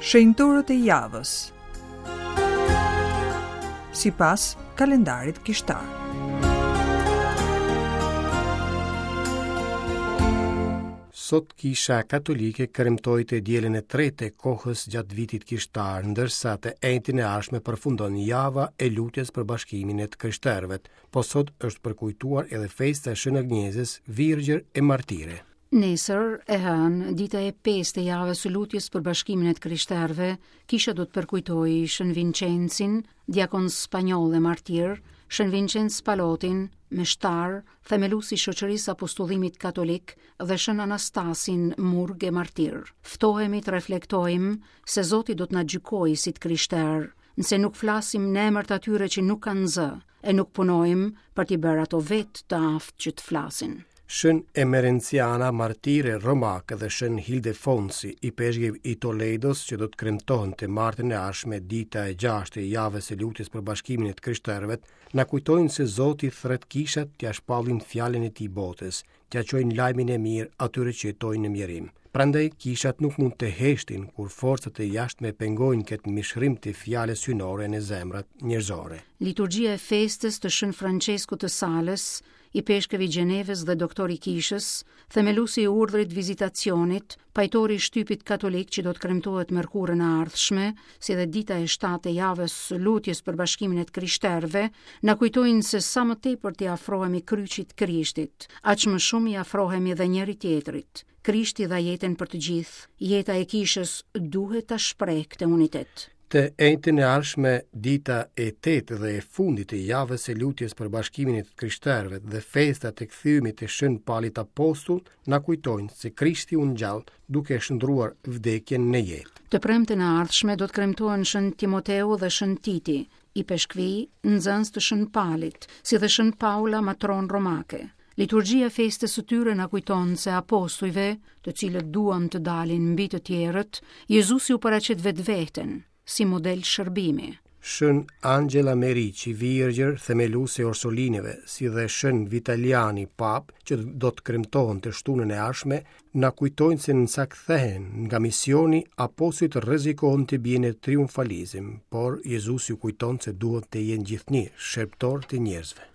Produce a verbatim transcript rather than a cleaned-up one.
Shenjtorët e javës. Sipas kalendarit kishtar. Sot Kisha Katolike kremtoi të dielën e tretë të kohës gjatë vitit kishtar, ndërsa të enjten e ardhshme përfundon java e lutjes për bashkimin e të krishterëve. Po sot është përkujtuar edhe festa e Shën Agnezës, Virgjër e Martire. Nesër, e hënë, dita e pestë e javës së lutjes për bashkimin e të krishterëve, kisha do të përkujtojë Shën Vincencin, diakon spanjoll e martir, Shën Vincenc Palotin, meshtar, themelues i shoqërisë apostullimit katolik dhe Shën Anastasin, murg e martir. Ftohemi të reflektojmë se Zoti do të na gjykojë si të krishterë, nëse nuk flasim në emër të atyre që nuk kanë zë e nuk punojmë për t'i bërë ato vetë të aftë që të flasin. Shën Emerenciana, martire romake dhe Shën Hildefonsi, ipeshkëv i Toledos, që do të kremtohen të martën e ardhshme, dita e gjashtë e javës së lutjes për bashkimin e të krishterëve, na kujtojnë se Zoti thret kishat t'ia shpallin fjalën e tij botës, t'ia çojnë lajmin e mirë atyre që jetojnë në mjerim. Prandaj kishat nuk mund të heshtin kur forcat e jashtme pengojnë këtë mishërim të fjalës hyjnore në zemrat njerëzore. Liturgjia e festës të Shën Franceskut të Salës, ipeshkëv i Gjenevës dhe doktor i kishës, themeluesi i urdhrit vizitacionit, pajtori i shtypit katolik që do të kremtohet mërkurën e ardhshme, si dhe dita e shtatë e javës së lutjes për bashkimin e të krishterëve, na kujtojnë se sa më tepër t'i afrohemi kryqit Krishtit, aq më shumë i afrohemi edhe njëri tjetrit. Krishti dha jetën për të gjithë, jeta e kishës duhet ta shpreh këtë unitet. Të enjten e ardhshme, dita e tetë dhe e fundit e javës së lutjes për bashkimin e të krishterëve dhe festat e kthimit të Shën Palit Apostull na kujtojnë se Krishti u ngjall duke shndruar vdekjen në jetë. Të premten e ardhshme do të kremtohen Shën Timoteu dhe Shën Titi, ipeshkvi, nxënës të Shën Palit, si dhe Shën Paula, matron romake. Liturgjia e festës së tyre na kujton se apostujve, të cilët duan të dalin mbi të tjerët, Jezusi u paraqet vetveten si model shërbimi. Shën Angela Merici, virgjër, themeluese e Orsolineve, si dhe Shën Vitaliani, pap, që do të kremtohen të shtunën e ardhshme, na kujtojnë se nësa kthehen nga misioni, apostujt rrezikohen të bien në triumfalizëm, por Jezusi u kujton se duhet të jenë gjithnjë shërbëtor të njerëzve.